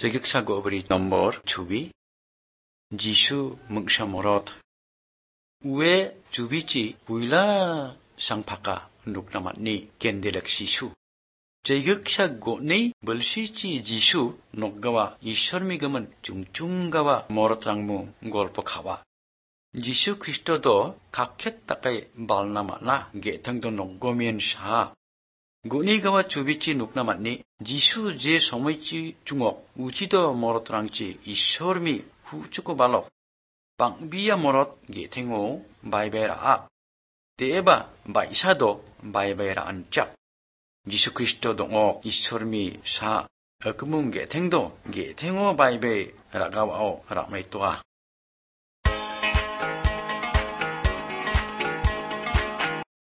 Jegiksago beri nomor cubi. Jisu mengsamorot. Ue cubici buila sang paka nuk namat ni kendelek sisu. Jegiksago ni belsici Jisu nok gawa Ishormi gaman jungjung gawa morotangmu golpo kawa. Jisu Kristo do kakhet takay balnama na getang do nokgomen sa. Guni gawa cubici nuk namat ni Jisu je somoici jungok ucido morotrangci Ishormi hucuko balok. Pangbiya morot getengo baybera ak. Deeba baisado baybera ancak. Jisu Kristo dongok Ishormi sa agmung getengdo getengo baybera gawao rakmaitoa.